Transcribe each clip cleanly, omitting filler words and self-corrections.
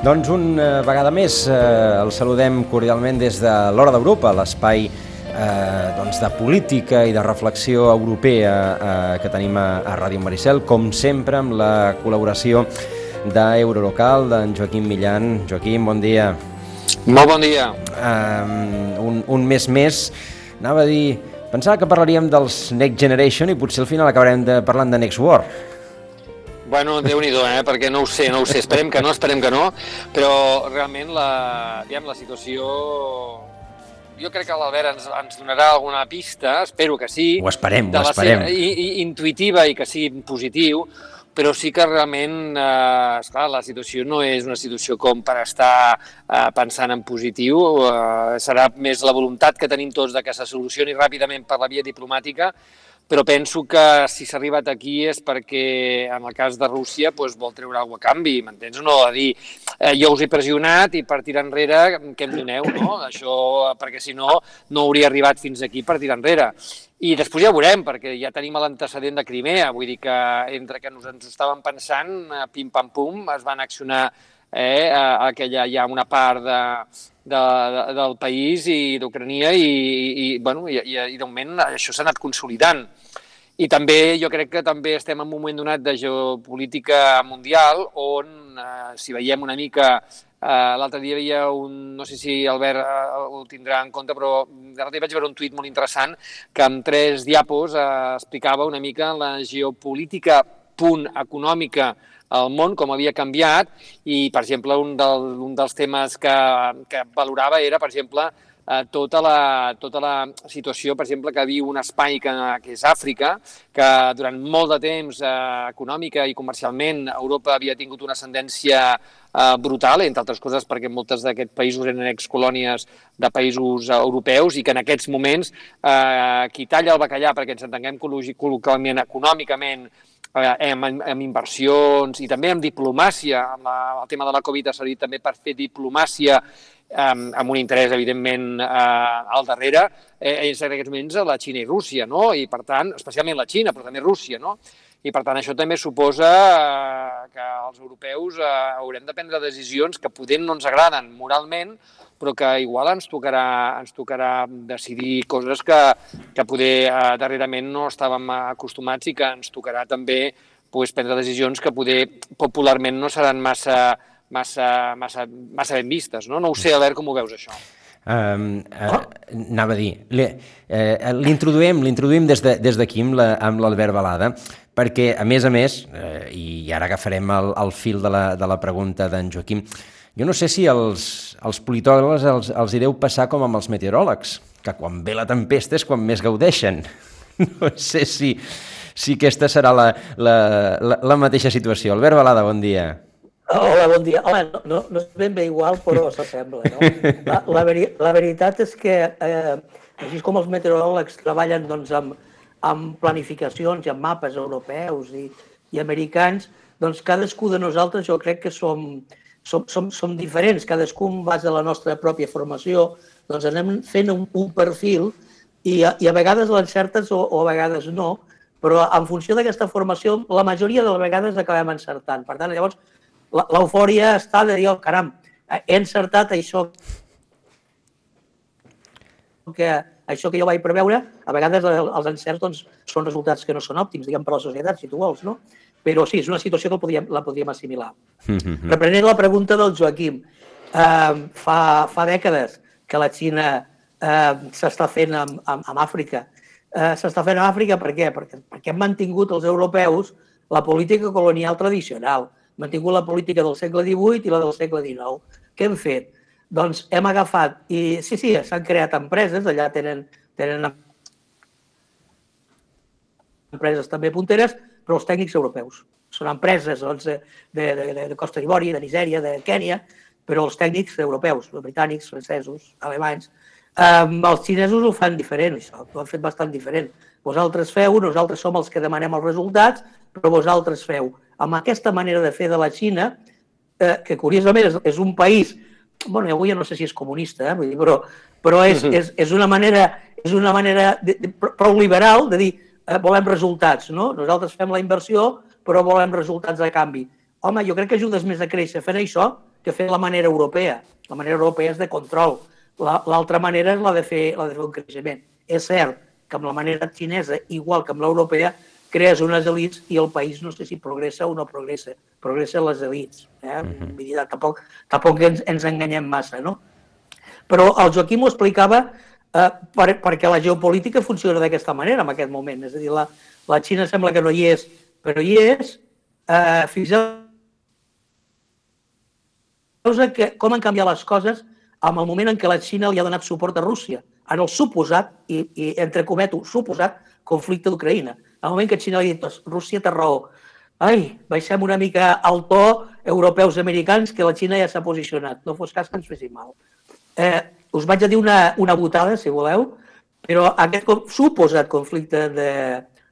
Doncs una vegada més el saludem cordialment des de l'Hora d'Europa, l'espai de política i de reflexió europea que tenim a Ràdio Maricel, com sempre amb la col·laboració d'Eurolocal, d'en Joaquim Millan. Joaquim, bon dia. Molt bon dia. Un mes més, anava a dir, pensava que parlaríem dels Next Generation i potser al final acabarem parlant de Next War. Bueno, Déu-n'hi-do, perquè no ho sé, esperem que no, però realment la situació... Jo crec que l'Albert ens donarà alguna pista, espero que sí. Ho esperem. Intuïtiva i que sigui positiu, però sí que realment, esclar, la situació no és una situació com per estar pensant en positiu, serà més la voluntat que tenim tots de que se solucioni ràpidament per la via diplomàtica, però penso que si s'ha arribat aquí és perquè, en el cas de Rússia, vol treure alguna cosa a canvi, m'entens? No a dir, jo us he pressionat i per tirar enrere, què em doneu, no? Això, perquè si no, no hauria arribat fins aquí per tirar enrere. I després ja ho veurem, perquè ja tenim l'antecedent de Crimea, vull dir que entre que ens ho estàvem pensant, pim-pam-pum, es van accionar aquella ja una part del país i d'Ucrania i de moment això s'ha anat consolidant. I també jo crec que també estem en un moment donat de geopolítica mundial on, si veiem una mica, l'altre dia hi havia no sé si Albert ho tindrà en compte, però l'altre dia vaig veure un tuit molt interessant que amb 3 diapos explicava una mica la geopolítica econòmica al món, com havia canviat, i, per exemple, un dels temes que valorava era, per exemple, tota la situació, per exemple, que viu un espai que és Àfrica, que durant molt de temps, econòmica i comercialment, Europa havia tingut una ascendència brutal, entre altres coses perquè moltes d'aquests països eren excolònies de països europeus i que en aquests moments qui talla el bacallà, perquè ens entenguem col·loquialment, econòmicament, amb inversions i també amb diplomàcia, amb el tema de la Covid ha servit també per fer diplomàcia amb un interès, evidentment, al darrere, és en aquests moments la Xina i Rússia, no? I, per tant, especialment la Xina, però també Rússia, no? I, per tant, això també suposa que els europeus haurem de prendre decisions que poder no ens agraden moralment, però que igual ens tocarà decidir coses que poder darrerament no estàvem acostumats i que ens tocarà també prendre decisions que poder popularment no seran massa ben vistes, no? No ho sé, Albert, com ho veus, això? Anava a dir, l'introduïm des d'aquí amb l'Albert Balada, perquè, a més, i ara agafarem el fil de la pregunta d'en Joaquim, jo no sé si els politòlegs els hi deu passar com amb els meteoròlegs, que quan ve la tempesta és quan més gaudeixen. No sé si aquesta serà la mateixa situació. Albert Balada, bon dia. Hola, bon dia. Home, no és ben bé igual, però s'assembla, no? La veritat és que, així com els meteoròlegs treballen amb planificacions i amb mapes europeus i americans, doncs cadascú de nosaltres jo crec que som diferents, cadascú en base a la nostra pròpia formació, doncs anem fent un perfil i a vegades l'encertes o a vegades no, però en funció d'aquesta formació la majoria de les vegades acabem encertant. Per tant, llavors, l'eufòria està de dir, oh, caram, he encertat això que jo vaig preveure. A vegades els encerts doncs, són resultats que no són òptims, diguem, per a la societat, si tu vols, no? Però sí, és una situació que la podríem assimilar. Reprenent la pregunta del Joaquim, fa dècades que la Xina s'està fent amb Àfrica. S'està fent amb Àfrica per què? Perquè hem mantingut els europeus la política colonial tradicional, hem mantingut la política del segle XVIII i la del segle XIX. Què hem fet? Doncs hem agafat, i sí, s'han creat empreses, allà tenen empreses també punteres, però els tècnics europeus. Són empreses de Costa d'Ivori, de Nigèria, de Kènia, però els tècnics europeus, britànics, francesos, alemanys. Els xinesos ho fan diferent, això, ho han fet bastant diferent. Vosaltres feu, nosaltres som els que demanem els resultats, però vosaltres feu. Amb aquesta manera de fer de la Xina, que curiosament és un país, bueno, avui no sé si és comunista, però és una manera prou liberal de dir volem resultats, no? Nosaltres fem la inversió, però volem resultats a canvi. Home, jo crec que ajudes més a créixer fent això que fer la manera europea. La manera europea és de control. L'altra manera és la de fer un creixement. És cert que amb la manera xinesa, igual que amb l'europea, crees unes elites i el país no sé si progressa o no progressa. Progressen les elites. Vull dir, tampoc ens enganyem massa, no? Però el Joaquim ho explicava perquè la geopolítica funciona d'aquesta manera en aquest moment. És a dir, la Xina sembla que no hi és, però hi és. Fixeu-vos com han canviat les coses en el moment en què la Xina li ha donat suport a Rússia, en el suposat, i entre cometo, suposat conflicte d'Ucraïna. En el moment que Xina li ha dit, Rússia té raó, baixem una mica al to europeus americans que la Xina ja s'ha posicionat, no fos cas que ens fessin mal. Us vaig a dir una botada, si voleu, però aquest suposat conflicte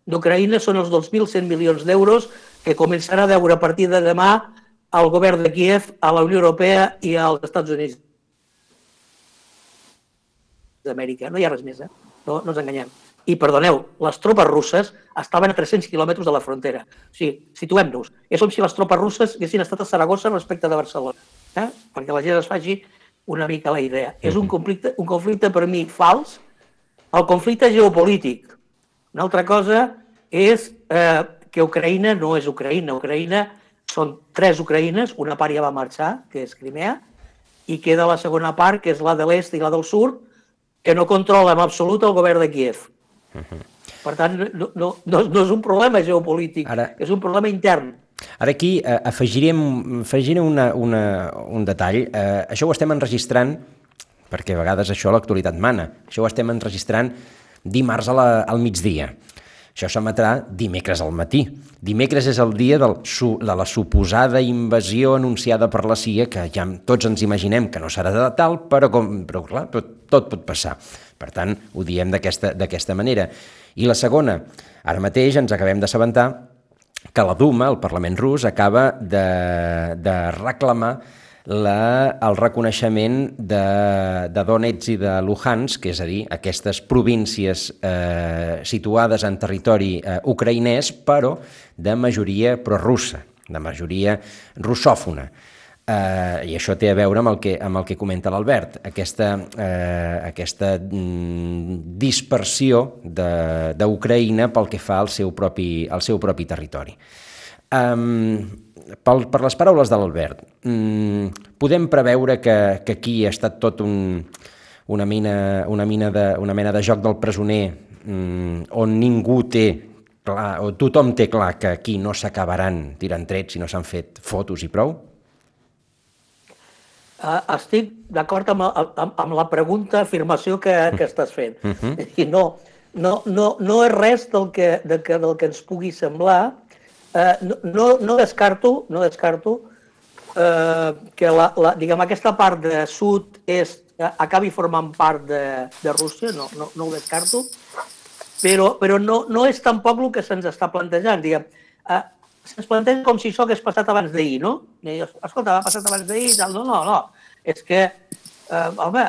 d'Ucraïna són els 2.100 milions d'euros que començarà a deure a partir de demà al govern de Kíev, a la Unió Europea i als Estats Units d'Amèrica. No hi ha res més, no ens enganyem. I, perdoneu, les tropes russes estaven a 300 quilòmetres de la frontera. O sigui, situem-nos. És com si les tropes russes haguessin estat a Saragossa respecte de Barcelona, perquè la gent es faci una mica la idea. És un conflicte per mi fals, el conflicte geopolític. Una altra cosa és que Ucraïna no és Ucraïna. Ucraïna són 3 Ucraïnes, una part ja va marxar, que és Crimea, i queda la segona part, que és la de l'est i la del sud, que no controla en absolut el govern de Kíev. Per tant, no és un problema geopolític, és un problema intern. Ara aquí afegiré un detall. Això ho estem enregistrant, perquè a vegades això l'actualitat mana, això ho estem enregistrant dimarts al migdia. Això s'emetrà dimecres al matí. Dimecres és el dia de la suposada invasió anunciada per la CIA, que ja tots ens imaginem que no serà de tal, però clar, tot pot passar. Per tant, ho diem d'aquesta manera. I la segona, ara mateix ens acabem d'assabentar que la Duma, el Parlament rus, acaba de reclamar el reconeixement de Donetsk i de Luhansk, és a dir, aquestes províncies situades en territori ucraïnès, però de majoria prorussa, de majoria russòfona. I això té a veure amb el que comenta l'Albert, aquesta dispersió d'Ucraïna pel que fa al seu propi territori. Per les paraules de l'Albert, podem preveure que aquí ha estat tot una mena de joc del presoner on ningú té clar, o tothom té clar que aquí no s'acabaran tirant trets si no s'han fet fotos i prou? Estic d'acord amb la pregunta, afirmació que estàs fent. I no és res del que ens pugui semblar. No descarto que aquesta part de sud-est acabi formant part de Rússia, no ho descarto, però no és tampoc el que se'ns està plantejant. Se'ns planteja com si això hagués passat abans d'ahir, no? Escolta, ha passat abans d'ahir, no. És que, home,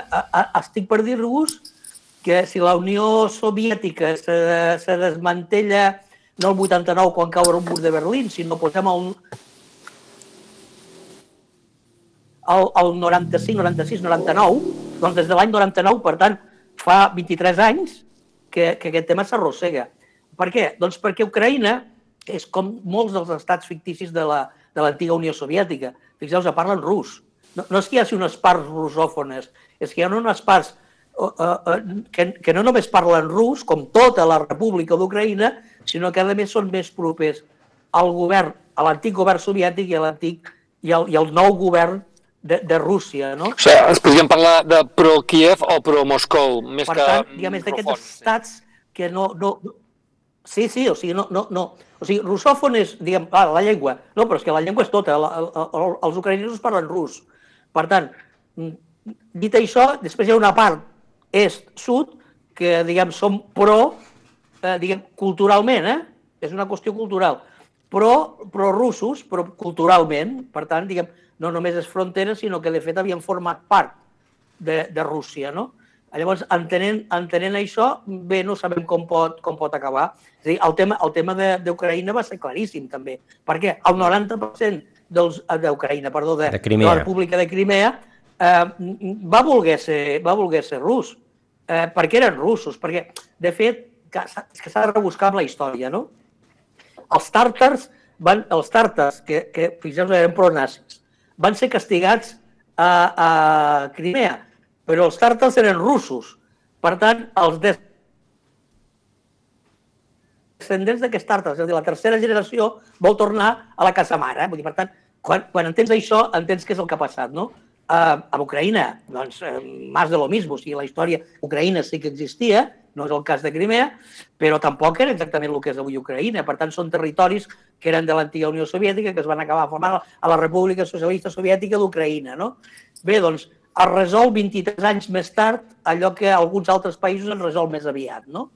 estic per dir-vos que si la Unió Soviètica se desmantella no el 89 quan cau el mur de Berlín, sinó posem el 95, 96, 99, doncs des de l'any 99, per tant, fa 23 anys que aquest tema s'arrossega. Per què? Doncs perquè Ucraïna és com molts dels estats ficticis de l'antiga Unió Soviètica. Fixeu-vos, parlen rus. No és que hi hagi unes parts rusòfones, és que hi ha unes parts que no només parlen rus, com tota la República d'Ucraïna, sinó que a més són més propers al govern, a l'antic govern soviètic i al nou govern de Rússia, no? O sigui, ens podríem parlar de pro-Kiev o pro-Moscou, més que... Per tant, diguem, és d'aquests estats que no... Sí, o sigui, no... O sigui, russòfon és, diguem, la llengua. No, però és que la llengua és tota. Els ucraïnesos parlen rus. Per tant, dit això, després hi ha una part est-sud que, diguem, som diguem, culturalment, és una qüestió cultural, pro-russos, però culturalment, per tant, diguem, no només és frontera, sinó que de fet havien format part de Rússia, no? Llavors, entenent això, bé, no sabem com pot acabar. És a dir, el tema d'Ucraïna va ser claríssim, també, perquè el 90% d'Ucraïna, perdó, de Crimea. la República de Crimea, va voler ser rus, perquè eren russos, perquè, de fet, és que s'ha de rebuscar amb la història, no? Els tàrtars, que fixeu-vos, eren pronazis, van ser castigats a Crimea, però els tàrtars eren russos. Per tant, els descendents d'aquests tàrtars, és a dir, la tercera generació, vol tornar a la casa mare. Vull dir, per tant, quan entens això, entens què és el que ha passat, no? A Ucraïna, doncs, més de lo mismo. O sigui, la història Ucraïna sí que existia, no és el cas de Crimea, però tampoc era exactament el que és avui Ucraïna. Per tant, són territoris que eren de l'antiga Unió Soviètica, que es van acabar formant a la República Socialista Soviètica d'Ucraïna, no? Bé, doncs, es resol 23 anys més tard allò que alguns altres països es resol més aviat, no?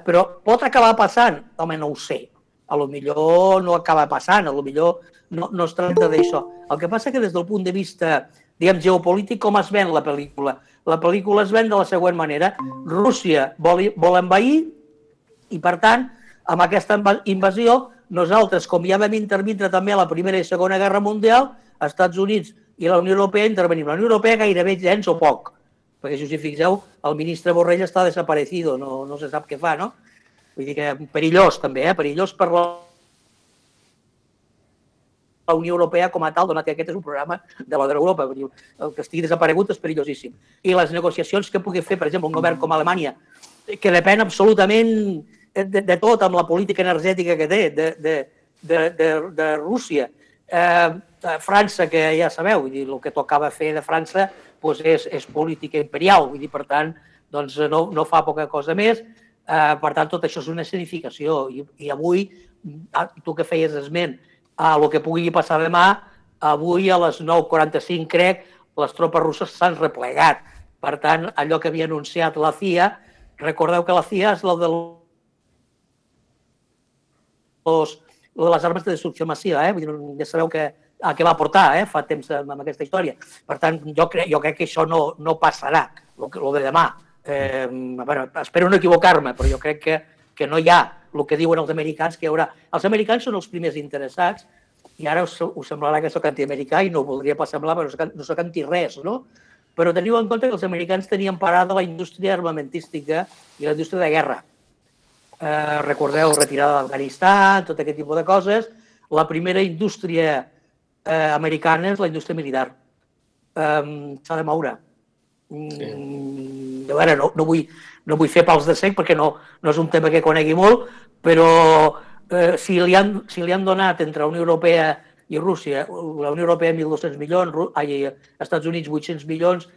Però pot acabar passant? Home, no ho sé. A lo millor no acaba passant, a lo millor no es tracta d'això. El que passa que des del punt de vista, diguem, geopolític, com es ven la pel·lícula? La pel·lícula es ven de la següent manera. Rússia vol envair i, per tant, amb aquesta invasió, nosaltres, com ja vam intervindre també a la Primera i Segona Guerra Mundial, als Estats Units i la Unió Europea intervenim. La Unió Europea gairebé gens o poc, perquè si us hi fixeu, el ministre Borrell està desaparecido, no se sap què fa, no? Vull dir que perillós també, perillós per la Unió Europea com a tal, donat que aquest és un programa de la d'Europa. El que estigui desaparegut és perillosíssim. I les negociacions que pugui fer, per exemple, un govern com Alemanya, que depèn absolutament de tot amb la política energètica que té, de Rússia, França, que ja sabeu, el que tocava fer de França és política imperial, vull dir, per tant, no fa poca cosa més, per tant, tot això és una escenificació, i avui, tu que feies esment, el que pugui passar demà, avui a les 9:45, crec, les tropes russes s'han replegat. Per tant, allò que havia anunciat la CIA, recordeu que la CIA és la de les armes de destrucció massiva, ja sabeu a què va portar fa temps amb aquesta història. Per tant, jo crec que això no passarà, el de demà. Espero no equivocar-me, però jo crec que no hi ha el que diuen els americans, que hi haurà. Els americans són els primers interessats, i ara us semblarà que soc antiamericà i no ho voldria pas semblar, però no soc anti-res, no? Però teniu en compte que els americans tenien parada la indústria armamentística i la indústria de guerra. Recordeu, retirada d'Afganistan, tot aquest tipus de coses. La primera indústria americana és la indústria militar. S'ha de moure. A veure, no vull fer pals de cec perquè no és un tema que conegui molt, però si li han donat entre la Unió Europea i Rússia, la Unió Europea 1.200 milions, els Estats Units 800 milions,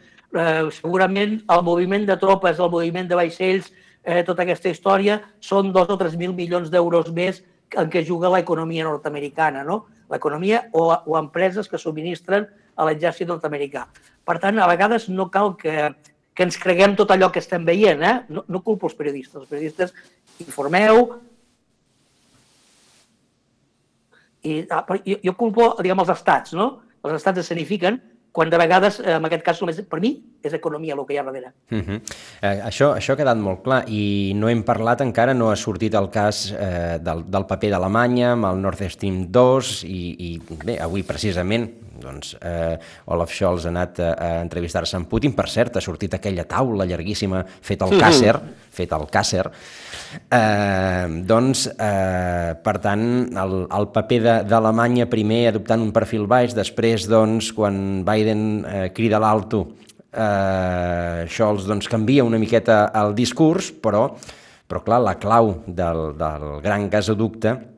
segurament el moviment de tropes, el moviment de vaixells, tota aquesta història, són 2 o 3.000 milions d'euros més en què juga l'economia nord-americana, no? L'economia o empreses que subministren a l'exèrcit nord-americà. Per tant, a vegades no cal que ens creguem tot allò que estem veient, no culpo els periodistes. Els periodistes informeu, i jo culpo, diguem, els estats, no? Els estats escenifiquen, quan de vegades, en aquest cas, només per mi, és economia el que hi ha darrere. Això ha quedat molt clar, i no hem parlat encara, no ha sortit el cas del paper d'Alemanya amb el Nord Stream 2, i bé, avui precisament Olaf Scholz ha anat a entrevistar-se amb Putin. Per cert, ha sortit aquella taula llarguíssima feta al Kàsser. Per tant, el paper d'Alemanya primer adoptant un perfil baix, després, quan Biden crida l'alto, Scholz canvia una miqueta el discurs, però clar, la clau del gran gasoducte,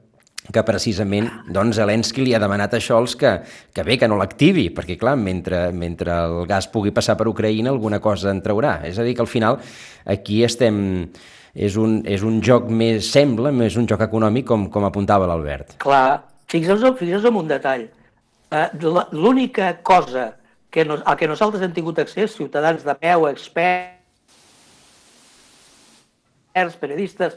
que precisament Zelensky li ha demanat a Scholz que bé, que no l'activi, perquè clar, mentre el gas pugui passar per Ucraïna, alguna cosa en traurà. És a dir, que al final aquí estem... És un joc més un joc econòmic, com apuntava l'Albert. Clar, fixeu-vos en un detall. L'única cosa a què nosaltres hem tingut accés, ciutadans de peu, experts, periodistes,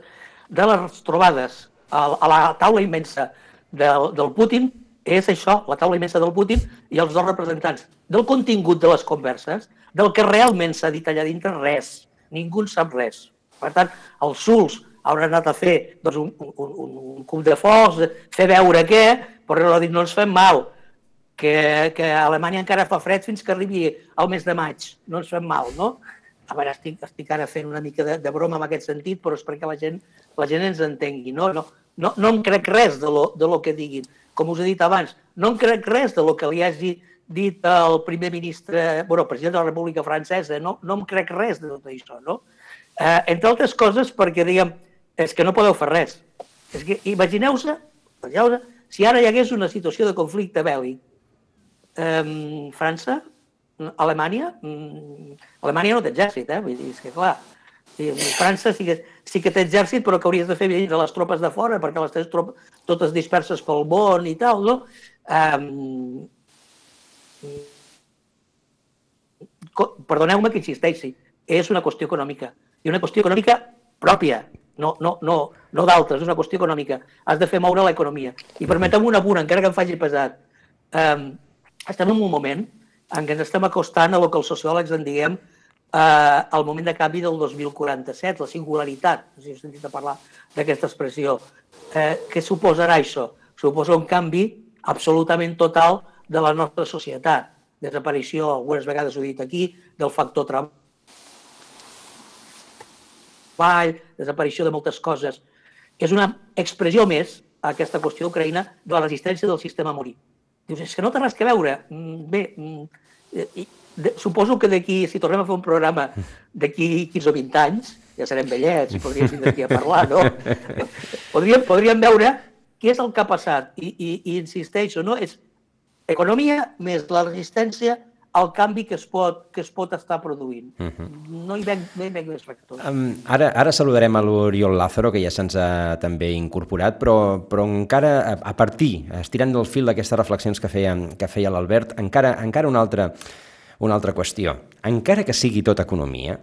de les trobades a la taula immensa del Putin, és això, la taula immensa del Putin i els dos representants. Del contingut de les converses, del que realment s'ha dit allà dintre, res. Ningú en sap res. Per tant, els Suls hauran anat a fer un cop de focs, fer veure què, Però no ens fem mal, que a Alemanya encara fa fred fins que arribi al mes de maig. No ens fem mal, no? A veure, estic ara fent una mica de broma en aquest sentit, però és perquè la gent ens entengui. No em crec res de lo que diguin. Com us he dit abans, no em crec res de lo que li hagi dit el primer ministre, president de la República Francesa. No em crec res de tot això, no? Entre altres coses perquè, diguem, és que no podeu fer res. És que imagineu-se, si ara hi hagués una situació de conflicte bèl·lic, França, Alemanya no té exèrcit, vull dir, és que clar, França sí que té exèrcit, però que hauries de fer venir les tropes de fora, perquè les tens totes disperses pel món i tal, no? Perdoneu-me que insisteixi, és una qüestió econòmica, i una qüestió econòmica pròpia, no d'altres, és una qüestió econòmica. Has de fer moure l'economia. I permeteu-me un apunt, encara que em faci pesat. Estem en un moment en què ens estem acostant a el que els sociòlegs en diguem el moment de canvi del 2047, la singularitat, no sé si heu sentit a parlar d'aquesta expressió. Què suposarà això? Suposa un canvi absolutament total de la nostra societat. Desaparició, algunes vegades ho he dit aquí, del factor treball, desaparició de moltes coses. És una expressió més, aquesta qüestió d'Ucraïna, de la resistència del sistema a morir. Dius, és que no té res que veure. Bé, suposo que d'aquí, si tornem a fer un programa d'aquí 15 o 20 anys, ja serem vellets i podríem vindre aquí a parlar, no? Podríem veure què és el que ha passat. I insisteixo, no? És economia més la resistència al canvi que es pot estar produint. No hi veig més factors. Ara saludarem a l'Oriol Lázaro, que ja se'ns ha també incorporat, però encara, a partir, estirant del fil d'aquestes reflexions que feia l'Albert, encara una altra qüestió. Encara que sigui tot economia,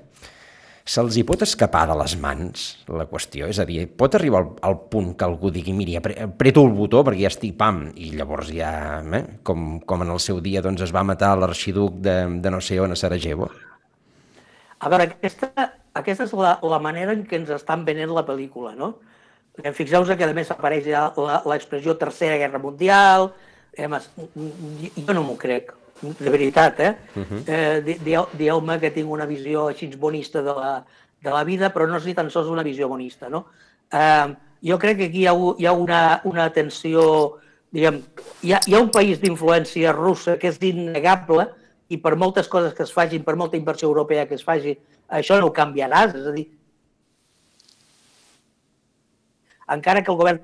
se'ls hi pot escapar de les mans la qüestió? És a dir, pot arribar al punt que algú digui, miri, apreto el botó perquè ja estic pam, i llavors ja, com en el seu dia es va matar l'arxiduc de no sé on, a Sarajevo? A veure, aquesta és la manera en què ens estan venent la pel·lícula, no? Fixeu-vos que a més apareix ja l'expressió Tercera Guerra Mundial. Jo no m'ho crec, de veritat, Dieu-me que tinc una visió així bonista de la vida, però no és ni tan sols una visió bonista, no? Jo crec que aquí hi ha una tensió, diguem, hi ha un país d'influència russa que és innegable i per moltes coses que es facin, per molta inversió europea que es faci, això no ho canviaràs, és a dir, encara que el govern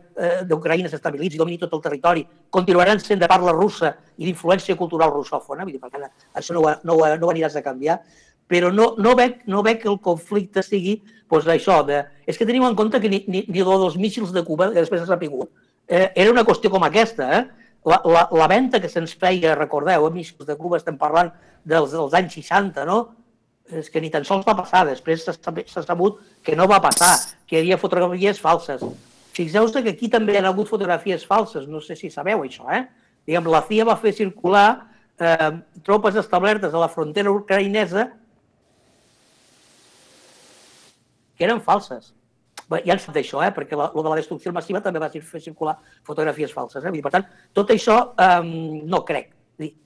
d'Ucraïna s'estabilitzi i domini tot el territori, continuaran sent de parla russa i d'influència cultural russòfona, vull dir, per tant, això no ho aniràs a canviar, però no veig que el conflicte sigui això. És que teniu en compte que ni dels míssils de Cuba, que després s'ha sapigut, era una qüestió com aquesta. La venda que se'ns feia, recordeu, míssils de Cuba, estem parlant dels anys 60, no? És que ni tan sols va passar, després s'ha sabut que no va passar, que hi havia fotografies falses. Fixeu-vos que aquí també hi ha hagut fotografies falses, no sé si sabeu això, Diguem, la CIA va fer circular tropes establertes a la frontera ucraïnesa que eren falses. Ja en sap d'això, perquè el de la destrucció massiva també va fer circular fotografies falses. Per tant, tot això no crec.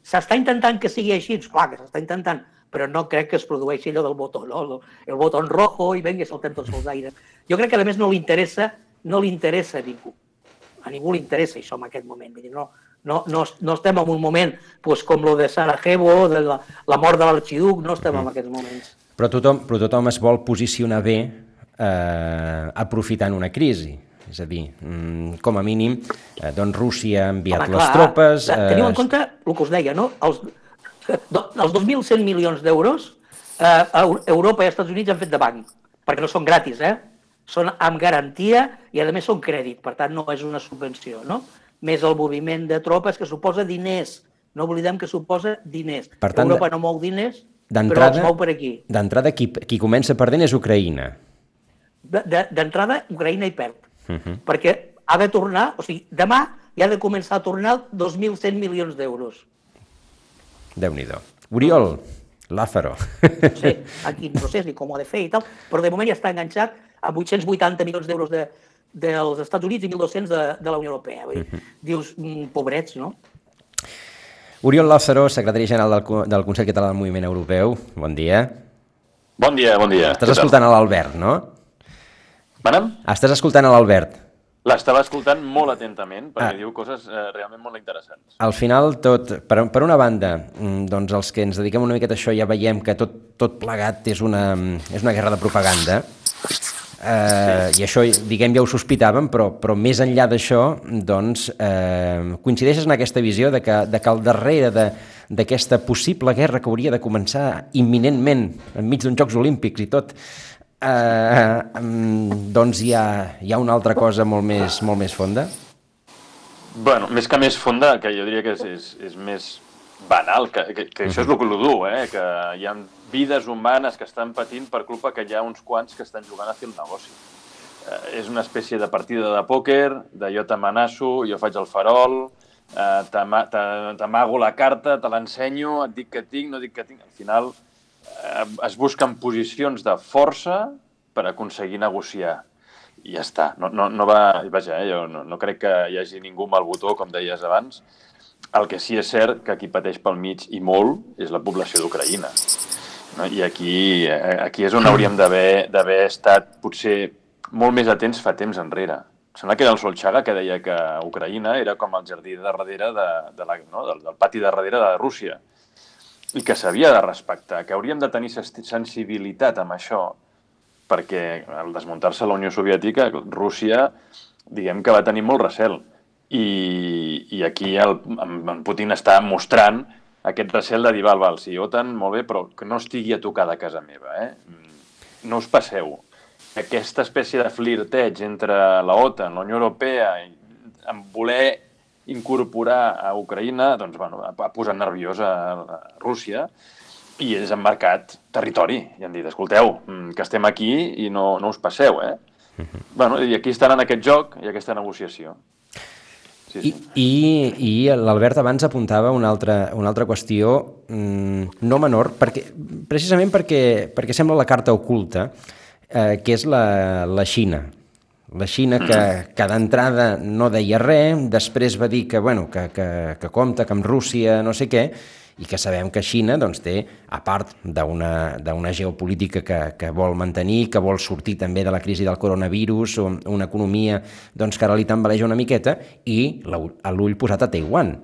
S'està intentant que sigui així? Clar que s'està intentant, però no crec que es produeixi allò del botó, no? El botó rojo i venga, saltem tots els aires. Jo crec que, a més, no li interessa a ningú. A ningú li interessa això en aquest moment. No estem en un moment com el de Sarajevo, de la mort de l'arxiduc, no estem en aquests moments. Però tothom es vol posicionar bé aprofitant una crisi. És a dir, com a mínim, Rússia ha enviat les tropes... Teniu en compte el que us deia, no? Els 2.100 milions d'euros Europa i els Estats Units han fet de banc, perquè no són gratis, són amb garantia i, a més, són crèdit, per tant, no és una subvenció, no? Més el moviment de tropes, que suposa diners. No oblidem que suposa diners. Europa no mou diners, però els mou per aquí. D'entrada, qui comença perdent és Ucraïna. D'entrada, Ucraïna hi perd, perquè ha de tornar, o sigui, demà ja ha de començar a tornar 2.100 milions d'euros. Déu-n'hi-do. Oriol Lázaro. Sí, aquí no sé ni com ho ha de fer i tal, però de moment ja està enganxat a 880 milions d'euros dels Estats Units i 1.200 de la Unió Europea. Dius, pobrets, no? Oriol Lázaro, secretari general del Consell Català del Moviment Europeu. Bon dia. Bon dia, bon dia. Estàs escoltant a l'Albert, no? Manem? Estàs escoltant a l'Albert. L'estava escoltant molt atentament, perquè diu coses realment molt interessants. Al final, per una banda, doncs els que ens dediquem una miqueta a això ja veiem que tot plegat és una guerra de propaganda, i això, diguem, ja ho sospitàvem, però més enllà d'això, doncs, coincideixes en aquesta visió de que al darrere d'aquesta possible guerra que hauria de començar imminentment, enmig d'uns Jocs Olímpics i tot, doncs hi ha una altra cosa molt més fonda? Bueno, més que més fonda, que jo diria que és més banal, que això és el que dur, que hi ha vides humanes que estan patint per culpa que hi ha uns quants que estan jugant a fer el negoci. És una espècie de partida de pòquer, de jo t'amenaço, jo faig el farol, t'amago la carta, te l'ensenyo, et dic que tinc, no dic que tinc. Al final es busquen posicions de força per aconseguir negociar. I ja està. Vaja, jo no crec que hi hagi ningú amb el botó, com deies abans. El que sí és cert que qui pateix pel mig i molt és la població d'Ucraïna. I aquí és on hauríem d'haver estat potser molt més atents fa temps enrere. Sembla que era el Solchaga que deia que Ucraïna era com el jardí de darrere del pati de darrere de Rússia i que s'havia de respectar, que hauríem de tenir sensibilitat amb això, perquè al desmuntar-se la Unió Soviètica, Rússia, diguem que va tenir molt recel. I aquí en Putin està mostrant aquest recel de dir, val, sí, OTAN, molt bé, però que no estigui a tocar de casa meva. No us passeu. Aquesta espècie de flirteig entre la OTAN, la Unió Europea, en voler incorporar a Ucraïna, doncs, ha posat nerviosa a Rússia i ells han marcat territori i han dit, escolteu, que estem aquí i no us passeu, I aquí estan en aquest joc i aquesta negociació. Sí. I l'Albert abans apuntava una altra qüestió no menor, precisament perquè sembla la carta oculta, que és la Xina. La Xina que d'entrada no deia res, després va dir que compta, que amb Rússia no sé què, i que sabem que Xina doncs, té, a part d'una geopolítica que vol mantenir, que vol sortir també de la crisi del coronavirus, o una economia doncs, que ara li tambaleja una miqueta, i l'ull posat a Taiwan.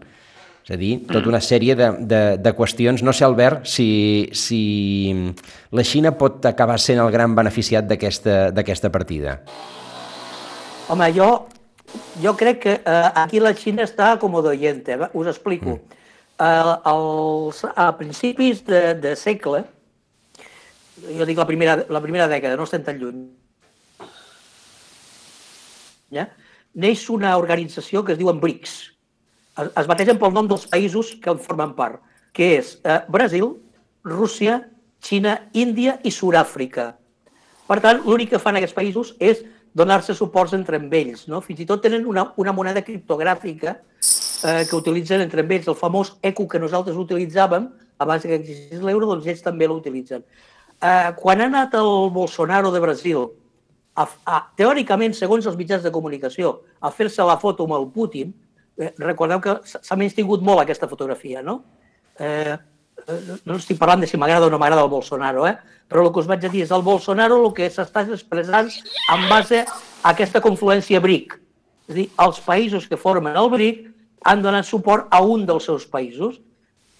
És a dir, tota una sèrie de qüestions. No sé, Albert, si la Xina pot acabar sent el gran beneficiat d'aquesta partida. Home, jo crec que aquí la Xina està com d'oyente. Us explico. A principis de segle, jo dic la primera dècada, no estem tan lluny, neix una organització que es diu BRICS. Es bategen pel nom dels països que en formen part, que és Brasil, Rússia, Xina, Índia i Sud-àfrica. Per tant, l'únic que fan aquests països és donar-se suports entre ells. Fins i tot tenen una moneda criptogràfica que utilitzen entre ells, el famós ECU que nosaltres utilitzàvem abans que existís l'euro, doncs ells també l'utilitzen. Quan ha anat el Bolsonaro de Brasil, teòricament, segons els mitjans de comunicació, a fer-se la foto amb el Putin, recordeu que s'ha menystingut molt aquesta fotografia, no? No estic parlant de si m'agrada o no m'agrada el Bolsonaro, però el que us vaig a dir és el Bolsonaro el que s'està expressant en base a aquesta confluència BRIC. És a dir, els països que formen el BRIC han donat suport a un dels seus països,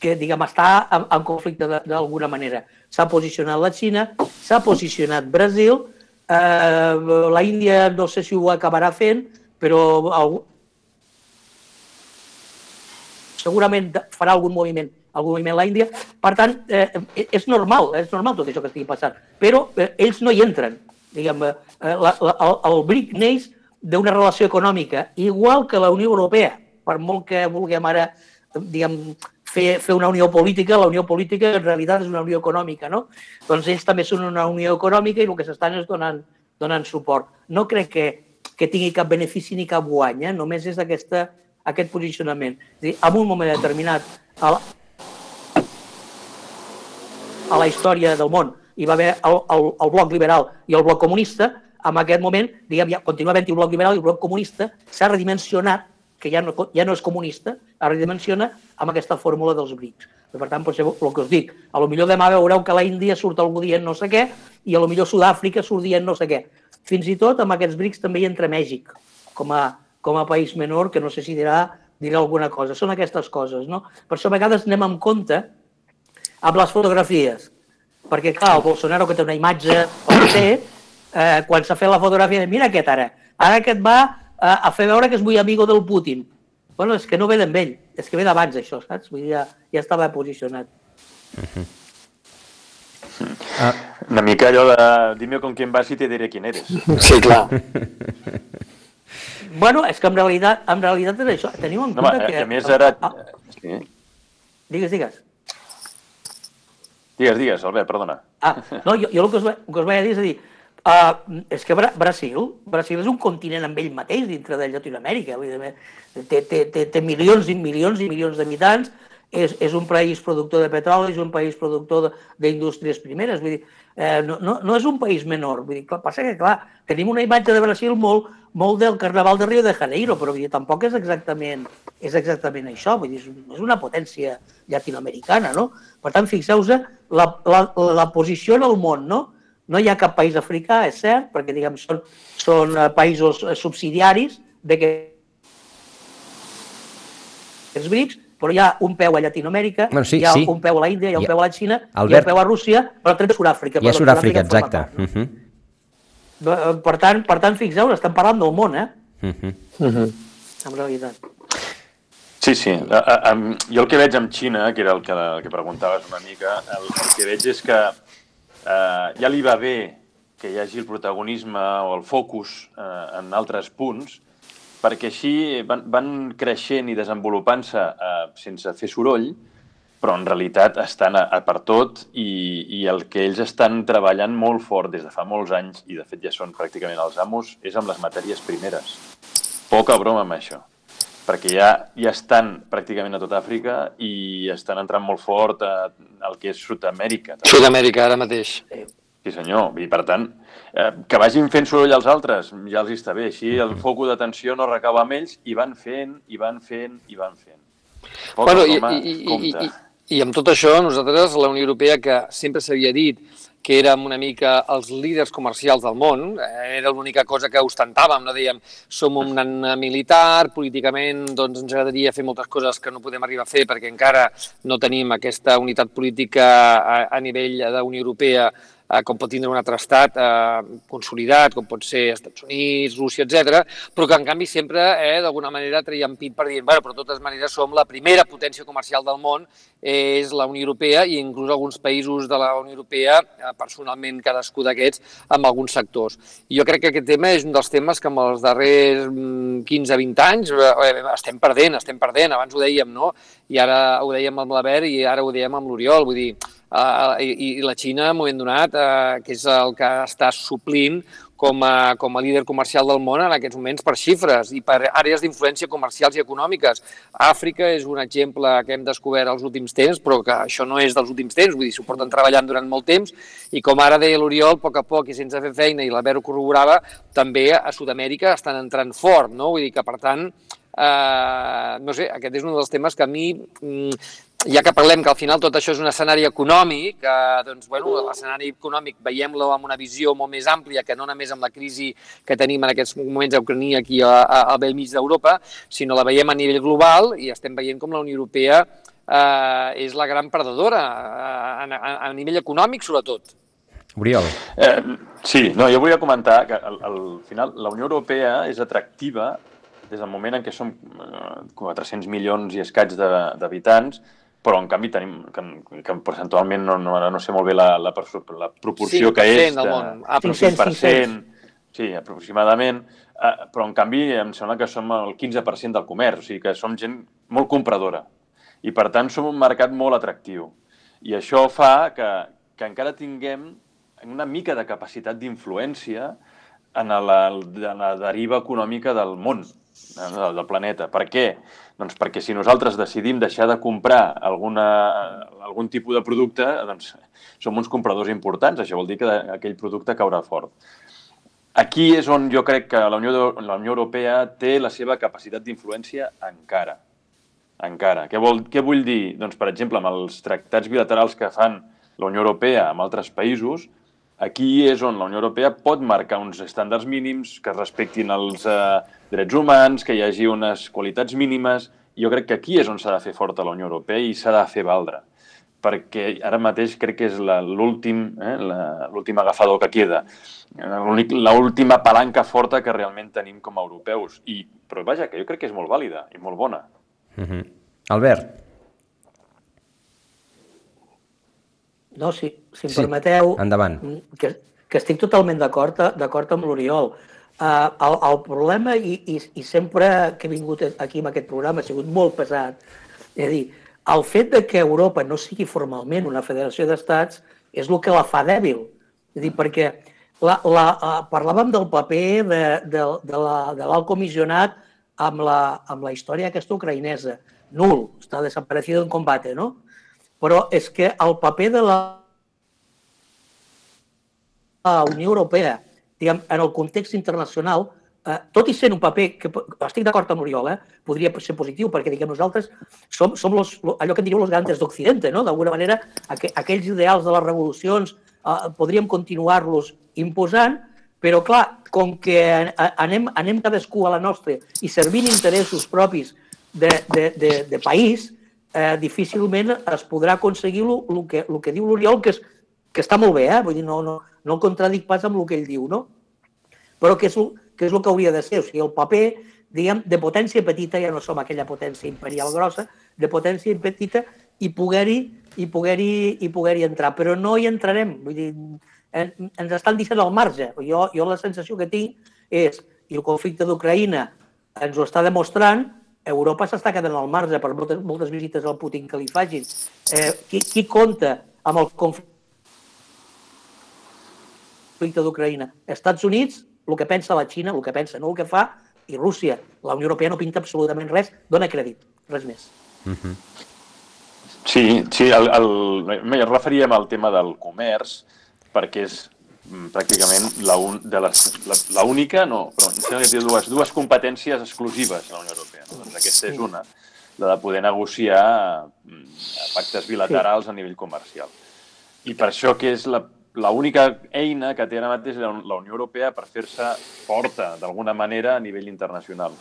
que, diguem, està en conflicte d'alguna manera. S'ha posicionat la Xina, s'ha posicionat Brasil, la Índia no sé si ho acabarà fent, però segurament farà algun moviment la Índia. Per tant, és normal tot això que estigui passant, però ells no hi entren. El BRIC neix d'una relació econòmica, igual que la Unió Europea, per molt que vulguem ara fer una unió política, la unió política en realitat és una unió econòmica, no? Doncs ells també són una unió econòmica i el que s'estan és donant suport. No crec que tingui cap benefici ni cap guany, només és aquest posicionament. És a dir, en un moment determinat a la història del món hi va haver el bloc liberal i el bloc comunista, en aquest moment, diguem, ja continua havent-hi el bloc liberal i el bloc comunista s'ha redimensionat, que ja no és comunista, es redimensiona amb aquesta fórmula dels BRICS. Per tant, potser el que us dic, a lo millor demà veureu que a la Índia surt algú dient no sé què i a lo millor Sud-àfrica surt dient no sé què. Fins i tot amb aquests BRICS també hi entra Mèxic, com a país menor, que no sé si dirà alguna cosa. Són aquestes coses, no? Per això a vegades anem amb compte amb les fotografies, perquè, clar, el Bolsonaro, que té una imatge, quan s'ha fet la fotografia, mira aquest ara aquest va a fer veure que és muy amigo del Putin. Bueno, és que no ve d'en ell, és que ve d'abans, això, saps? Vull dir, ja estava posicionat. Una mica allò de dime con quién vas y te diré quién eres. Sí, clar. Bueno, és que en realitat és això. Teniu en compte que... A més, ara... Digues. Digues, Albert, perdona. No, jo el que us vaig dir és a dir, és que Brasil és un continent amb ell mateix dintre de Llatinoamèrica. Té milions i milions i milions d'habitants, és un país productor de petroli, és un país productor d'indústries primeres. Vull dir, no és un país menor. Vull dir, passa que, clar, tenim una imatge de Brasil molt del Carnaval de Rio de Janeiro, però vull dir, tampoc és exactament això. Vull dir, és una potència llatinoamericana, no? Per tant, fixeu-vos la posició en el món, no? No hi ha cap país africà, és cert, perquè diguem, són països subsidiaris d'aquests BRICS, però hi ha un peu a Llatinoamèrica, hi ha un peu a la Índia, hi ha un peu a la Xina, hi ha un peu a Rússia, però també a Sud-àfrica. Hi ha Sud-àfrica, exacte. Per tant, fixeu-vos, estem parlant del món, en realitat. Sí. Jo el que veig amb Xina, que era el que preguntaves una mica, el que veig és que ja li va bé que hi hagi el protagonisme o el focus en altres punts, perquè així van creixent i desenvolupant-se sense fer soroll, però en realitat estan per tot i el que ells estan treballant molt fort des de fa molts anys, i de fet ja són pràcticament els amos, és amb les matèries primeres. Poca broma amb això, perquè ja estan pràcticament a tot Àfrica i estan entrant molt fort al que és Sud-amèrica. Sud-amèrica, ara mateix. Sí, senyor. I, per tant, que vagin fent soroll als altres, ja els està bé. Així el focus d'atenció no recau amb ells i van fent. Bueno, i amb tot això, nosaltres, la Unió Europea, que sempre s'havia dit que érem una mica els líders comercials del món, era l'única cosa que ostentàvem, no? Dèiem, som un militar, políticament doncs ens agradaria fer moltes coses que no podem arribar a fer perquè encara no tenim aquesta unitat política a nivell de la Unió Europea com pot tindre un altre estat consolidat, com pot ser Estats Units, Rússia, etc. Però que en canvi sempre d'alguna manera traiem pit per dir, bueno, però de totes maneres som la primera potència comercial del món, és la Unió Europea i inclús alguns països de la Unió Europea, personalment cadascú d'aquests, amb alguns sectors. I jo crec que aquest tema és un dels temes que en els darrers 15-20 anys estem perdent. Abans ho dèiem, no? I ara ho dèiem amb l'Albert i ara ho dèiem amb l'Oriol, vull dir, i la Xina, en un moment donat, que és el que està suplint com a líder comercial del món en aquests moments per xifres i per àrees d'influència comercials i econòmiques. Àfrica és un exemple que hem descobert als últims temps, però que això no és dels últims temps, vull dir, s'ho porten treballant durant molt temps i com ara deia l'Oriol, a poc i sense fer feina, i l'Albert ho corroborava, també a Sud-amèrica estan entrant fort, no? Vull dir que, per tant, no sé, aquest és un dels temes que a mi, ja que parlem que al final tot això és un escenari econòmic, doncs, bueno, l'escenari econòmic veiem-lo amb una visió molt més àmplia que no només amb la crisi que tenim en aquests moments a Ucrània aquí al bell mig d'Europa, sinó la veiem a nivell global i estem veient com la Unió Europea és la gran perdedora a nivell econòmic, sobretot. Oriol. Sí, no, jo volia comentar que al final la Unió Europea és atractiva des del moment en què som 400 milions i escaig d'habitants, però en canvi tenim, que percentualment no sé molt bé la proporció que és, 5%, sí, aproximadament, però en canvi em sembla que som el 15% del comerç, o sigui que som gent molt compradora i per tant som un mercat molt atractiu. I això fa que encara tinguem una mica de capacitat d'influència en la deriva econòmica del món, del planeta. Per què? Doncs perquè si nosaltres decidim deixar de comprar algun tipus de producte, doncs som uns compradors importants. Això vol dir que aquell producte caurà fort. Aquí és on jo crec que la Unió Europea té la seva capacitat d'influència encara. Encara. Què vull dir? Doncs, per exemple, amb els tractats bilaterals que fan la Unió Europea amb altres països, aquí és on la Unió Europea pot marcar uns estàndards mínims, que es respectin els drets humans, que hi hagi unes qualitats mínimes. Jo crec que aquí és on s'ha de fer forta la Unió Europea i s'ha de fer valdre. Perquè ara mateix crec que és l'últim agafador que queda, l'última palanca forta que realment tenim com a europeus. Però vaja, que jo crec que és molt vàlida i molt bona. Albert. No, si em permeteu, endavant. Que estic totalment d'acord amb l'Oriol. El problema, i sempre que he vingut aquí amb aquest programa, ha sigut molt pesat, és a dir, el fet de que Europa no sigui formalment una federació d'estats és el que la fa dèbil. És a dir, perquè parlàvem del paper de l'alt comissionat amb la història aquesta ucraïnesa. Nul, està desaparecido en combate, no? Però és que el paper de la Unió Europea, diguem, en el context internacional, tot i sent un paper que, estic d'acord amb l'Oriol, podria ser positiu, perquè diguem, nosaltres som allò que en diríem los grandes d'Occidente, no? D'alguna manera, aquells ideals de les revolucions podríem continuar-los imposant, però clar, com que anem cadascú a la nostra i servint interessos propis de país, difícilment es podrà aconseguir el que diu l'Oriol, que està molt bé, vull dir, no el contradic pas amb el que ell diu, no? Però que és el que hauria de ser, o sigui, el paper, diguem, de potència petita, ja no som aquella potència imperial grossa, de potència petita i poder-hi entrar, però no hi entrarem, vull dir, ens estan deixant al marge. Jo la sensació que tinc és, i el conflicte d'Ucraïna ens ho està demostrant, Europa s'està quedant al marge per moltes visites al Putin que li facin. Qui compta amb el conflicte d'Ucraïna? Estats Units, el que pensa la Xina, el que pensa, no el que fa, i Rússia. La Unió Europea no pinta absolutament res, dona crèdit, res més. Sí, em referíem al tema del comerç, perquè és pràcticament l'única, no, però em sembla que té dues competències exclusives a la Unió Europea. Doncs aquesta és una, la de poder negociar pactes bilaterals a nivell comercial. I per això que és l'única eina que té ara mateix la Unió Europea per fer-se forta, d'alguna manera, a nivell internacional.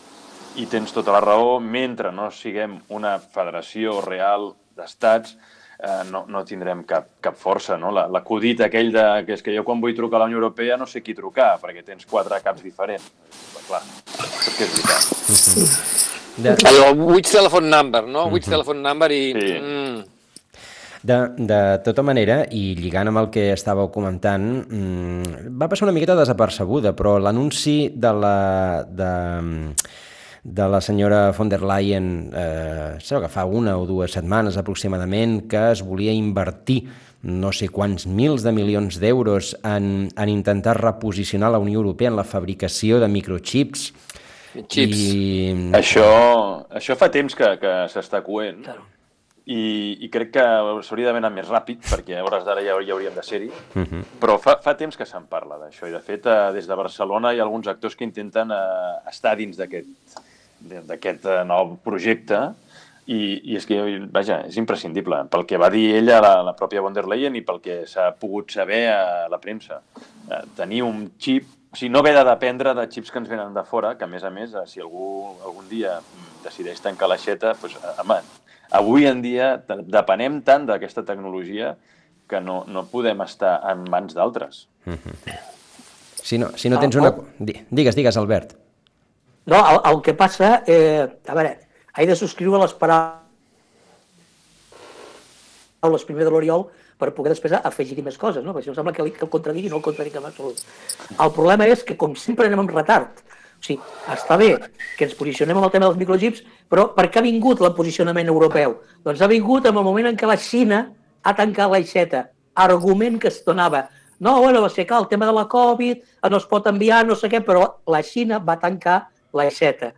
I tens tota la raó, mentre no siguem una federació real d'estats, no tindrem cap força, no? L'acudit aquell que és que jo quan vull trucar a la Unió Europea no sé qui trucar, perquè tens 4 caps diferents. Clar, perquè és veritat. Allò, which telephone number, no? Which telephone number i... Sí. De tota manera, i lligant amb el que estàveu comentant, va passar una miqueta desapercebuda, però l'anunci de la senyora von der Leyen, que fa 1 o 2 setmanes aproximadament, que es volia invertir no sé quants mils de milions d'euros en intentar reposicionar la Unió Europea en la fabricació de microchips. Això fa temps que s'està coent. I crec que s'hauria d'haver anat més ràpid, perquè a hores d'ara ja hauríem de ser-hi, però fa temps que se'n parla d'això, i de fet des de Barcelona hi ha alguns actors que intenten estar dins d'aquest nou projecte, i és que, vaja, és imprescindible, pel que va dir ella, la pròpia von der Leyen, i pel que s'ha pogut saber a la premsa. Tenir un xip, o sigui, no haver de dependre de xips que ens venen de fora, que a més, si algú algun dia decideix tancar l'aixeta, doncs, home, avui en dia depenem tant d'aquesta tecnologia que no podem estar en mans d'altres. Si no tens una... Digues, Albert. No, el que passa... A veure, he de subscriure les paraules primer de l'Oriol per poder després afegir-hi més coses, no? Perquè si no sembla que el contradigui, no el contradic en absolut. El problema és que, com sempre, anem amb retard. O sigui, està bé que ens posicionem en el tema dels microchips, però per què ha vingut el posicionament europeu? Doncs ha vingut en el moment en què la Xina ha tancat l'aixeta. Argument que es donava. No, bueno, va ser que el tema de la Covid no es pot enviar, no sé què, però la Xina va tancar l'aixeta.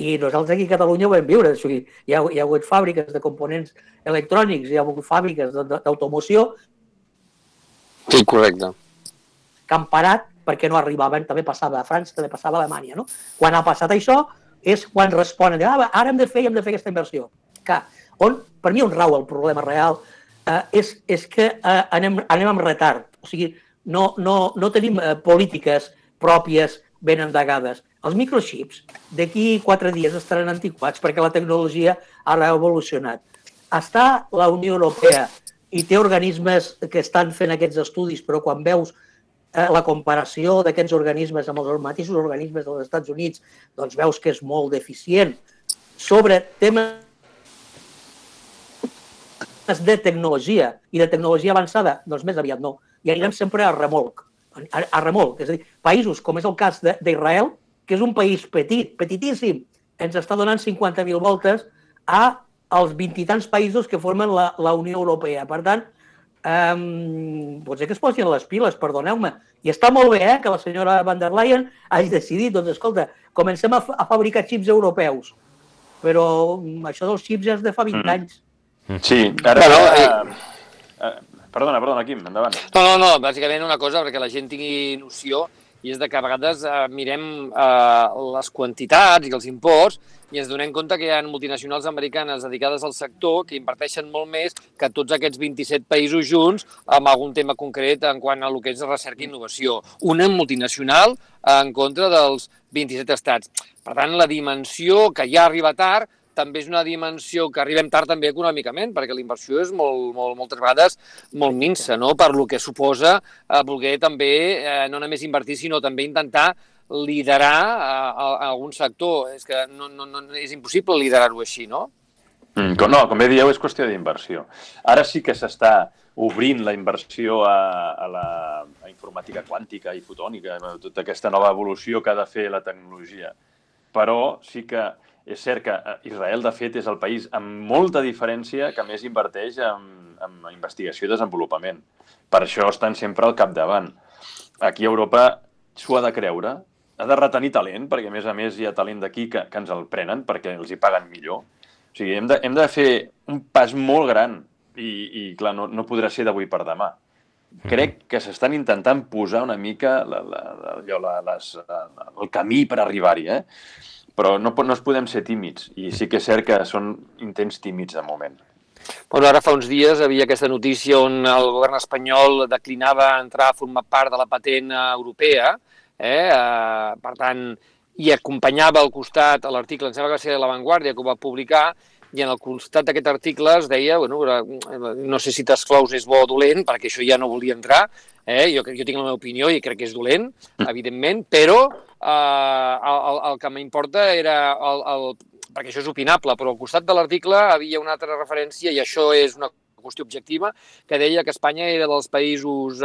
I nosaltres aquí a Catalunya ho vam viure. O sigui, hi ha hagut fàbriques de components electrònics, hi ha hagut fàbriques d'automoció. Sí, correcte. Que han parat perquè no arribaven, també passava a França, també passava a Alemanya. No? Quan ha passat això és quan responen, ara hem de fer aquesta inversió. Clar, per mi on rau el problema real és que anem amb retard. O sigui, no tenim polítiques pròpies ben endegades. Els microchips d'aquí 4 dies estaran antiquats perquè la tecnologia ara ha evolucionat. Està la Unió Europea i té organismes que estan fent aquests estudis, però quan veus la comparació d'aquests organismes amb els mateixos organismes dels Estats Units, doncs veus que és molt deficient. Sobre temes de tecnologia i de tecnologia avançada, doncs més aviat no. I anirem sempre a remolc. És a dir, països com és el cas d'Israel, que és un país petit, petitíssim, ens està donant 50.000 voltes als 20 i tants països que formen la Unió Europea. Per tant, potser que es posin les piles, perdoneu-me. I està molt bé que la senyora van der Leyen hagi decidit, doncs escolta, comencem a fabricar xips europeus. Però això dels xips ja és de fa 20 anys. Sí, ara... Perdona, Quim, endavant. No, bàsicament una cosa perquè la gent tingui noció i és que a vegades mirem les quantitats i els imports i ens donem compte que hi ha multinacionals americanes dedicades al sector que inverteixen molt més que tots aquests 27 països junts amb algun tema concret en quant a el que és recerca i innovació. Una multinacional en contra dels 27 estats. Per tant, la dimensió que ja arriba tard també és una dimensió que arribem tard també econòmicament, perquè la inversió és moltes vegades molt minsa, no? Per lo que suposa voler també no només invertir, sinó també intentar liderar algun sector. És que és impossible liderar-ho així, no? No, com bé dieu, és qüestió d'inversió. Ara sí que s'està obrint la inversió a la informàtica quàntica i fotònica, tota aquesta nova evolució que ha de fer la tecnologia. Però sí que és cert que Israel, de fet, és el país amb molta diferència que més inverteix en investigació i desenvolupament. Per això estan sempre al capdavant. Aquí a Europa s'ho ha de creure, ha de retenir talent, perquè a més hi ha talent d'aquí que ens el prenen perquè els hi paguen millor. O sigui, hem de fer un pas molt gran i clar, no podrà ser d'avui per demà. Crec que s'estan intentant posar una mica el camí per arribar-hi, però no es podem ser tímids, i sí que és cert que són intents tímids de moment. Bueno, ara fa uns dies havia aquesta notícia on el govern espanyol declinava entrar a formar part de la patent europea, per tant, i acompanyava al costat a l'article, em sembla que va ser La Vanguardia, que ho va publicar, i en el costat d'aquest article es deia, no sé si t'esclaus és bo o dolent, perquè això ja no volia entrar, jo tinc la meva opinió i crec que és dolent, evidentment, però el que m'importa era, perquè això és opinable, però al costat de l'article havia una altra referència, i això és una qüestió objectiva, que deia que Espanya era dels països,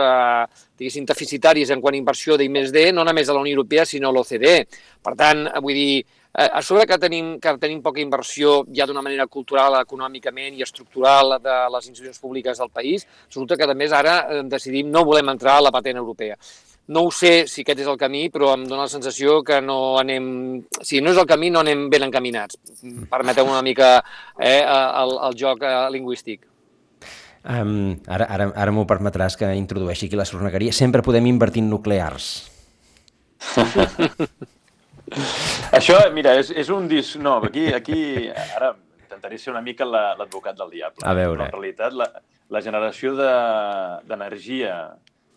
diguéssim, deficitaris en quant a inversió d'I+D, no només a la Unió Europea, sinó a l'OCDE. Per tant, vull dir, a sobre que tenim poca inversió ja d'una manera cultural, econòmicament i estructural de les institucions públiques del país, resulta que, a més, ara decidim no volem entrar a la patent europea. No ho sé si aquest és el camí, però em dóna la sensació que no anem... Si no és el camí, no anem ben encaminats. Permeteu una mica el joc lingüístic. Ara m'ho permetràs que introdueixi aquí la sornegueria. Sempre podem invertir en nuclears. Això, mira, és un disc... No, aquí ara intentaré ser una mica l'advocat del diable. A veure. En realitat, la generació d'energia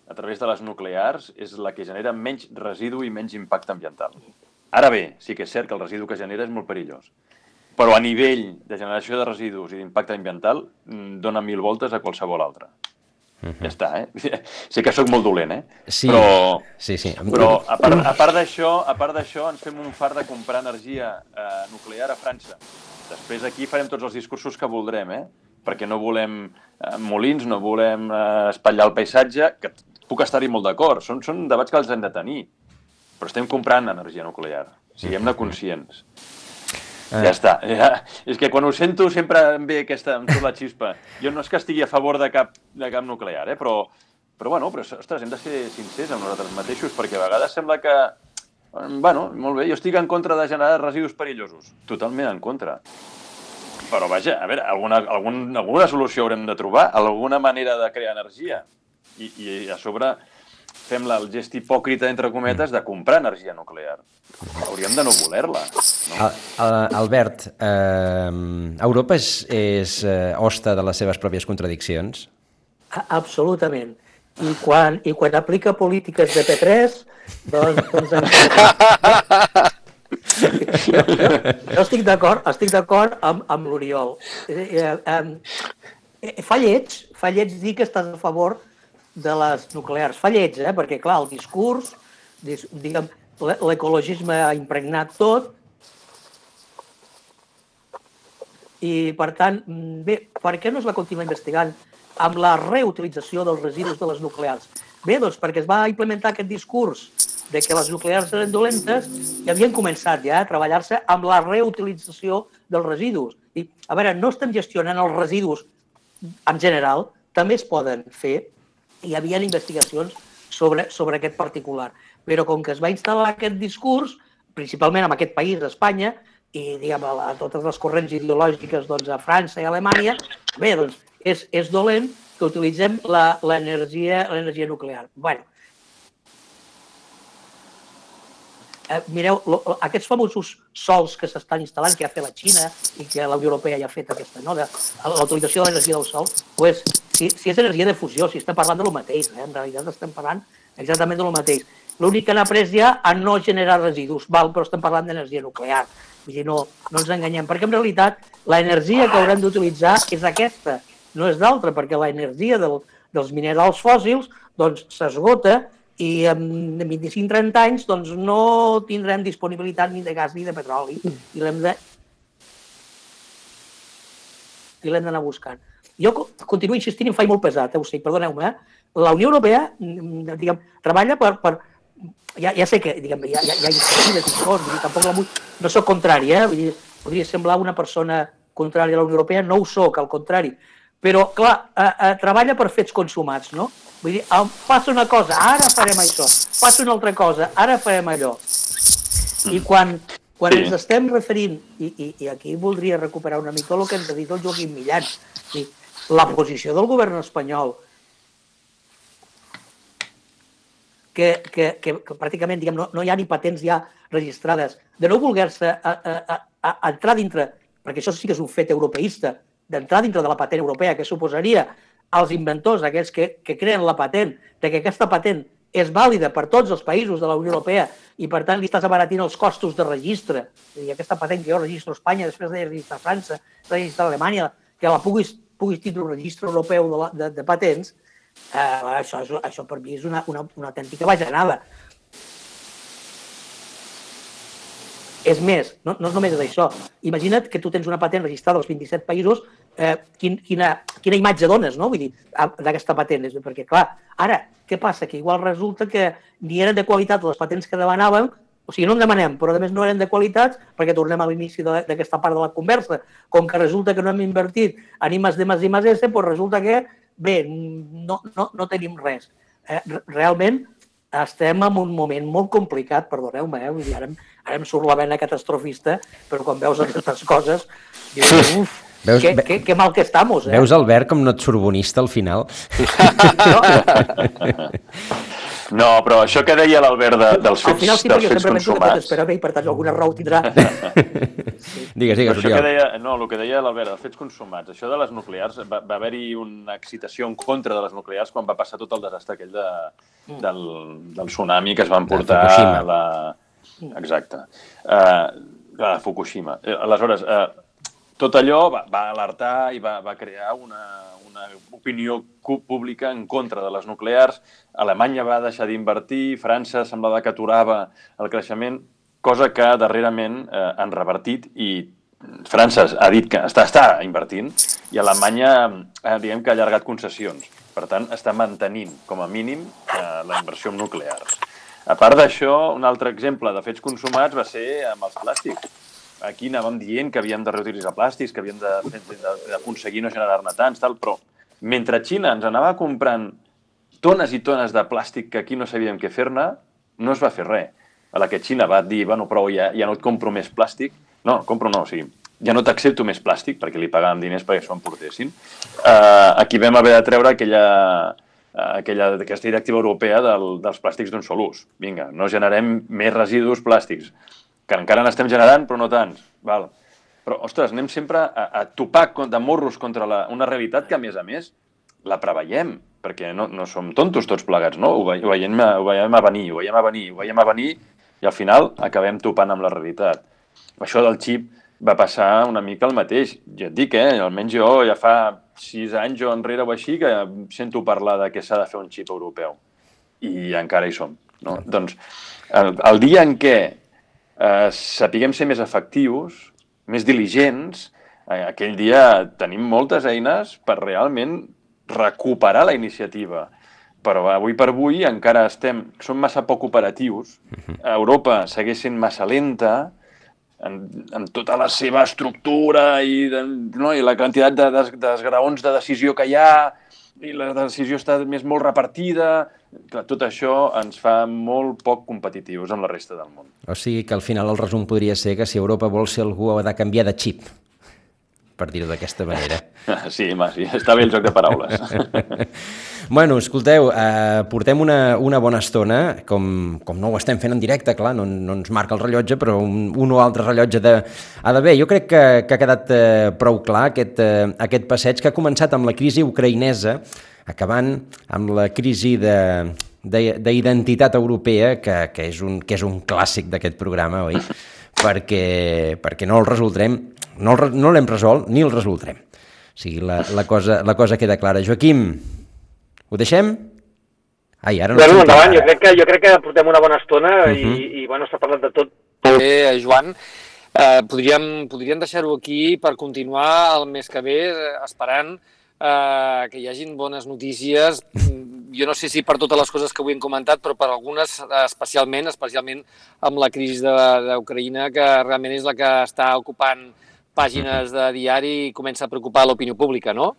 a través de les nuclears és la que genera menys residu i menys impacte ambiental. Ara bé, sí que és cert que el residu que genera és molt perillós. Però a nivell de generació de residus i d'impacte ambiental dona 1000 voltes a qualsevol altre. Ja està, Sé que sóc molt dolent, Sí. Però a part d'això ens fem un fart de comprar energia nuclear a França. Després aquí farem tots els discursos que voldrem, perquè no volem molins, no volem espatllar el paisatge, que puc estar-hi molt d'acord. Són debats que els hem de tenir. Però estem comprant energia nuclear. Siguem-ne conscients. Ja està. És que quan ho sento sempre em ve em surt la xispa. Jo no és que estigui a favor de cap nuclear, però ostres, hem de ser sincers amb nosaltres mateixos, perquè a vegades sembla que, molt bé, jo estic en contra de generar residus perillosos. Totalment en contra. Però vaja, a veure, alguna solució haurem de trobar, alguna manera de crear energia. I a sobre fem el gest hipòcrita, entre cometes, de comprar energia nuclear. Hauríem de no voler-la. No? Albert, Europa és hoste de les seves pròpies contradiccions? Absolutament. I quan aplica polítiques de P3, doncs jo estic d'acord amb l'Oriol. Fa lleig dir que estàs a favor de les nuclears. Fa lleig, perquè, clar, el discurs, diguem, l'ecologisme ha impregnat tot i, per tant, bé, per què no es va continuar investigant amb la reutilització dels residus de les nuclears? Bé, doncs perquè es va implementar aquest discurs de que les nuclears eren dolentes i havien començat ja a treballar-se amb la reutilització dels residus. I, a veure, no estem gestionant els residus en general, també es poden fer. Hi havia investigacions sobre aquest particular. Però com que es va instal·lar aquest discurs, principalment en aquest país, Espanya, i diguem, a totes les corrents ideològiques a França i a Alemanya, bé, doncs és dolent que utilitzem l'energia nuclear. Bé, mireu, aquests famosos sols que s'estan instal·lant, que ha fet la Xina i que la Unió Europea ja ha fet aquesta, no? L'autorització de l'energia del sol, doncs, si és energia de fusió, si estem parlant del mateix, en realitat estem parlant exactament del mateix. L'únic que han après ja a no generar residus, però estem parlant d'energia nuclear. Vull dir, no ens enganyem, perquè en realitat l'energia que haurem d'utilitzar és aquesta, no és d'altra, perquè l'energia dels minerals fòssils s'esgota i en 25-30 anys no tindrem disponibilitat ni de gas ni de petroli i l'hem d'anar buscant. Jo continuo insistint i em faig molt pesat, ho sé, perdoneu-me, la Unió Europea treballa per... Ja sé que hi ha iniciatives i coses, tampoc no soc contrari, podria semblar una persona contrària a la Unió Europea, no ho soc, al contrari, però, clar, treballa per fets consumats, no? Vull dir, passa una cosa, ara farem això, passa una altra cosa, ara farem allò. I quan ens estem referint, i aquí voldria recuperar una mica el que ens ha dit el Joaquim Millan, la posició del govern espanyol, que pràcticament no hi ha ni patents ja registrades, de no voler-se entrar dintre, perquè això sí que és un fet europeista, d'entrar dintre de la patent europea, que suposaria als inventors, aquells que creen la patent, que aquesta patent és vàlida per tots els països de la Unió Europea i, per tant, li estàs abaratint els costos de registre. I aquesta patent que jo registro a Espanya, després de registrar a França, de registrar a Alemanya, que la puguis tindre un registre europeu de patents, això per mi és una autèntica bajanada. És més, no només és això. Imagina't que tu tens una patent registrada als 27 països, quina imatge dones, no? Vull dir, d'aquesta patent. Perquè, clar, ara, què passa? Que igual resulta que ni eren de qualitat les patents que demanàvem, o sigui, no en demanem, però a més no eren de qualitat, perquè tornem a l'inici d'aquesta part de la conversa. Com que resulta que no hem invertit en I+D+I+S, doncs resulta que, bé, no tenim res. Realment, estem en un moment molt complicat, perdoneu-me, vull dir, ara em surt la vena catastrofista, però quan veus aquestes coses, dius, uf, que mal que estamos. Veus, Albert, com no et sorbonista al final? No, però això que deia l'Albert dels fets consumats... Al final sí, perquè jo sempre penso que t'espera bé i per tant alguna raó tindrà. Digues, Oriol. No, el que deia l'Albert, dels fets consumats, això de les nuclears, va haver-hi una excitació en contra de les nuclears quan va passar tot el desastre aquell del tsunami que es van portar a la... Exacte. A Fukushima. Aleshores, tot allò va alertar i va crear una opinió pública en contra de les nuclears. Alemanya va deixar d'invertir, França semblava que aturava el creixement, cosa que darrerament han revertit i França ha dit que està invertint i Alemanya diguem que ha allargat concessions. Per tant, està mantenint com a mínim la inversió en nuclears. A part d'això, un altre exemple de fets consumats va ser amb els plàstics. Aquí anàvem dient que havíem de reutilitzar plàstics, que havíem d'aconseguir no generar-ne tants, però mentre Xina ens anava comprant tones i tones de plàstic que aquí no sabíem què fer-ne, no es va fer res. A la que Xina va dir, bueno, prou, ja no et compro més plàstic. No, o sigui, ja no t'accepto més plàstic, perquè li pagàvem diners perquè s'ho emportessin. Aquí vam haver de treure aquesta directiva europea dels plàstics d'un sol ús. Vinga, no generem més residus plàstics, que encara n'estem generant, però no tants. Val. Però, ostres, anem sempre a topar de morros contra una realitat que, a més, la preveiem, perquè no som tontos tots plegats, no? Ho veiem a venir, i al final acabem topant amb la realitat. Això del xip va passar una mica el mateix. Ja et dic, almenys jo ja fa 6 anys o enrere o així que sento parlar de que s'ha de fer un xip europeu. I encara hi som. No? Doncs el dia en què sapiguem ser més efectius, més diligents, aquell dia tenim moltes eines per realment recuperar la iniciativa. Però avui per avui encara som massa poc operatius. Europa segueix sent massa lenta en tota la seva estructura i la quantitat d'esgraons de decisió que hi ha, i la decisió està molt repartida. Tot això ens fa molt poc competitius amb la resta del món. O sigui que al final el resum podria ser que si Europa vol ser algú ha de canviar de xip, per dir-ho d'aquesta manera. Sí, està bé el joc de paraules. Bueno, escolteu, portem una bona estona, com no ho estem fent en directe, clar, no ens marca el rellotge, però un o altre rellotge ha d'haver. Jo crec que ha quedat prou clar aquest passeig que ha començat amb la crisi ucraïnesa, acabant amb la crisi d'identitat europea, que és un clàssic d'aquest programa, oi? Perquè no el resoldrem, no l'hem resolt ni el resoldrem. O sigui, la cosa queda clara. Joaquim, ho deixem? Ai, ara no bueno, endavant, jo crec que portem una bona estona i bueno, s'ha parlat de tot. Joan, podríem deixar-ho aquí per continuar el mes que ve esperant que hi hagin bones notícies. Jo no sé si per totes les coses que avui hem comentat, però per algunes especialment amb la crisi d'Ucraïna, que realment és la que està ocupant pàgines de diari i comença a preocupar l'opinió pública, no?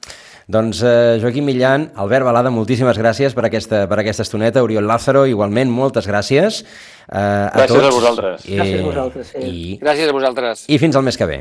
Doncs Joaquim Millan, Albert Balada, moltíssimes gràcies per aquesta estoneta. Oriol Lázaro, igualment, moltes gràcies a tots. Gràcies a vosaltres. Gràcies a vosaltres, sí. Gràcies a vosaltres. I fins al mes que ve.